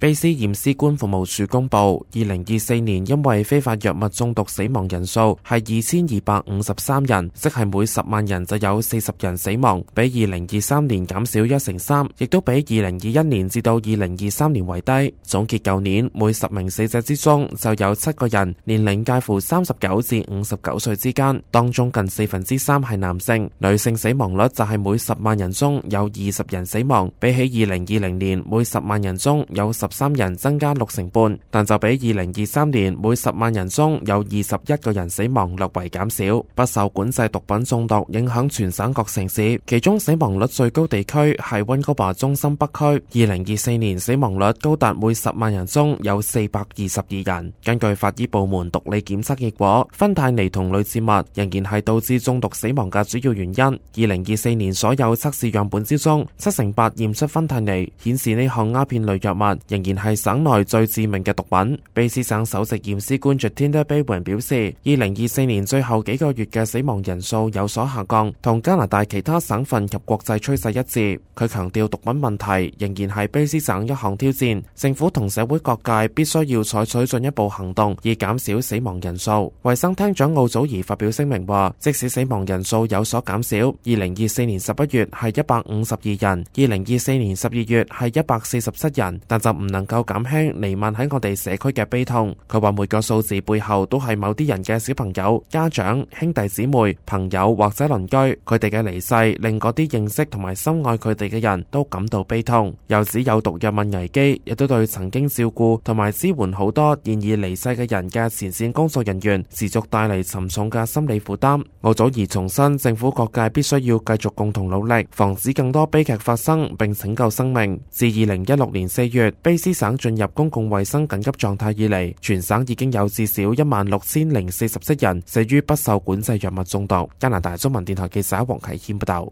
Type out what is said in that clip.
卑斯驗屍官服務處公布，2024年因為非法藥物中毒死亡人數係2253人，即係每10萬人就有40人死亡，比2023年減少1/3，亦都比2021年至到2023年為低。總結舊年每10名死者之中就有7個人年齡介乎39至59歲之間，當中近3/4係男性，女性死亡率就係每10萬人中有20人死亡，比起2020年每10萬人中有13人增加6.5%，但就比2023年每10萬人中有21個人死亡略為減少。不受管制毒品中毒影響全省各城市，其中死亡率最高地區係溫哥華中心北區，2024年死亡率高達每10萬人中有422人。根據法醫部門毒理檢測結果，芬太尼同類似物仍然係導致中毒死亡嘅主要原因。2024年所有測試樣本之中，78%驗出芬太尼，顯示呢項鴉片類藥物仍然係省內最致命嘅毒品。卑斯省首席驗屍官 Jatinder Bhawan 表示，2024年最後幾個月嘅死亡人數有所下降，同加拿大其他省份及國際趨勢一致。佢強調毒品問題仍然係卑斯省一項挑戰，政府同社會各界必須要採取進一步行動，以減少死亡人數。衛生廳長奧祖兒發表聲明話，即使死亡人數有所減少，2024年11月係152人，2024年12月係147人，但就唔能夠減輕彌漫喺我哋社區嘅悲痛。佢話每個數字背後都係某啲人嘅小朋友、家長、兄弟姊妹、朋友或者鄰居，佢哋嘅離世令嗰啲認識同埋深愛佢哋嘅人都感到悲痛。又指有毒藥物危機亦都對曾經照顧同埋支援好多現已離世嘅人嘅前線工作人員持續帶嚟沉重嘅心理負擔。奧祖兒重申，政府各界必須要繼續共同努力，防止更多悲劇發生並拯救生命。自2016年4月卑斯省進入公共衛生緊急狀態以嚟，全省已經有至少16047人死於不受管制藥物中毒。加拿大中文電台記者黃啟謙報道。